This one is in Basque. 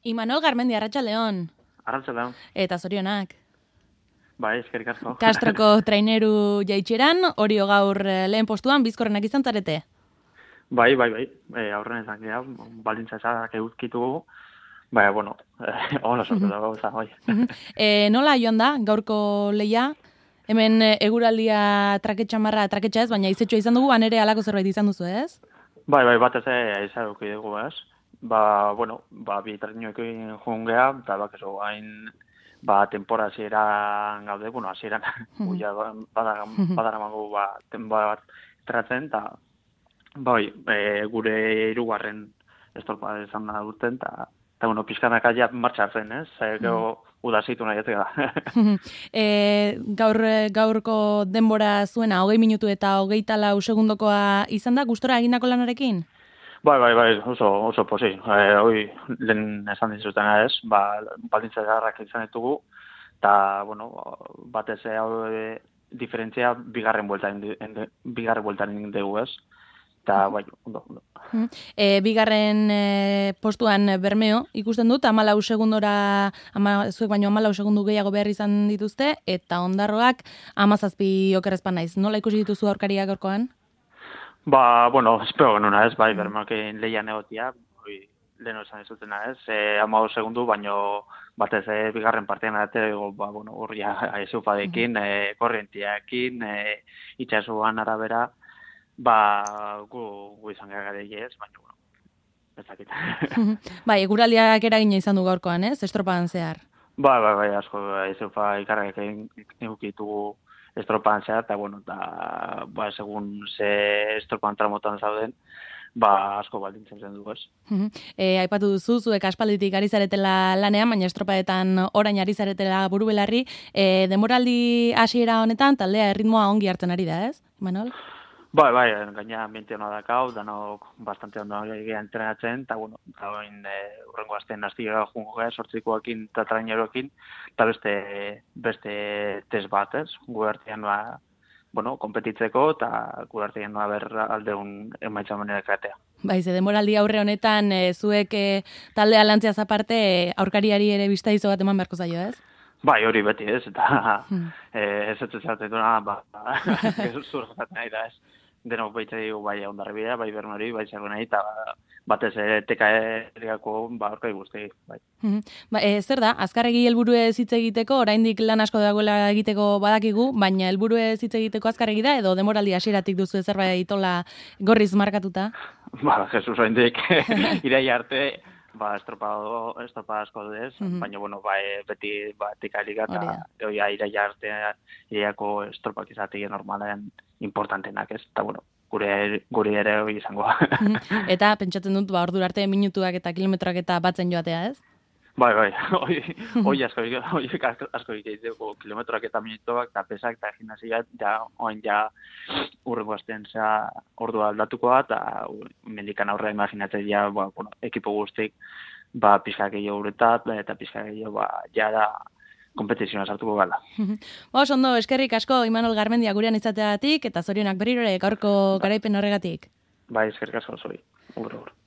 Imanol Garmendi, Arratsaldeon. Arratsaldeon. Eta zorionak. Bai, eskerrik asko. Castroko traineru jaitxeran, Orio gaur lehen postuan, bizkorrenak izan zarete. Bai. Aurren izan gira, baldintza ezak eguzkitugu. Bai, bueno, hola sortu da gauza, bai. Nola joan da, gaurko leia? Hemen eguraldia traketxa ez, baina izetxoa izan dugu, ere halako zerbait izan duzu, ez? Bai, batez izan duki dugu, ez? Bi trainoekin joan geha, eta bakezu hain, tempora hasieran gaude, hasieran guia badaramango denbora bat tratzen, eta gure hirugarren estorpa izan da duten, eta pixkanak aia martxatzen, ez? Gero udazitu nahi ez gara. Gaurko denbora zuena, 20 minutu eta 24 segundokoa izan da, gustora egindako lanarekin? Bai, oso posi. Hoi, lehen esan dizutena ez, baldintza garrak izan ditugu, eta, batez diferentzia bigarren bueltan dugu ez. Eta, ondo. Bigarren postuan Bermeo ikusten dut, 14 segundora, zuek baino 14 segundu gehiago behar izan dituzte, eta Ondarroak 17 okerrezpan naiz. Nola ikusi dituzu aurkariak gaurkoan? Espero genuna ez, Bermeokin lehian egotia, leheno esan dizutena ez, 15 segundu, baino batez bigarren partean atero, horria aizupadekin, korrientiakin, itxasuan arabera, gu izan gara ez, baina, ez dakit. Eguraldiak eragina izan du gaurkoan, ez? Estropan zehar. Bai, asko, aizupa ikarrak egukitugu estropan zehar, eta, segun ze estropan tramotan zauden, asko baldintzen zen dugu, ez. Aipatu duzu, zuek aspalditik ari zaretela lanean, baina estropaetan orain ari zaretela burubelarri, denboraldi hasiera honetan, taldea erritmoa ongi hartzen ari da, ez, Manol? Bai, gaina ambiente hona dakau, danok bastante ondo egia entrenatzen, eta, urrengo azten aztiga jungo gara, sortzikoakin eta traineroekin, eta beste test bat, ez, gu artean kompetitzeko, eta gu artean aldeun emaitza manera kratea. Ze demoraldi aurre honetan, zuek taldea lantziaz aparte, aurkariari ere bizta izo bat eman beharko zaio, ez? Bai, hori beti ez, eta ez zatetuna, zurgatzen nahi da ez. Denok baitza dugu bai Ondarribia, bai Bernori, bai Zerbenai, eta batez TKE-riako aurkai guzti. Bai. Zer da, azkarregi helburuez hitz egiteko, oraindik lan asko dagoela egiteko badakigu, baina helburuez hitz egiteko azkarregi da, edo demoraldi hasieratik duzu zerbait itola gorriz markatuta? Jesus, oraindik iraila arte, estropa asko dez, baina, beti TKE-riga, eta iraila arte irailako estropak izatik normalen importantenak ez, eta guri ere hori izango. Eta pentsatzen dut, ordura arte minutuak eta kilometroak eta batzen joatea ez? Bai, hori asko egiteko kilometroak eta minutuak, eta pesak eta gimnasia, urrengo azten ordua aldatukoa, eta mendikan aurre imaginatzen ekipo guztik, pixka gehiago uretat, eta pixka gehiago, da, kompetizioa sartuko gala. Ondo, eskerrik asko Imanol Garmendia gurean izateagatik, eta zorionak berriro ere gaurko garaipen horregatik. Bai, eskerrik asko zori.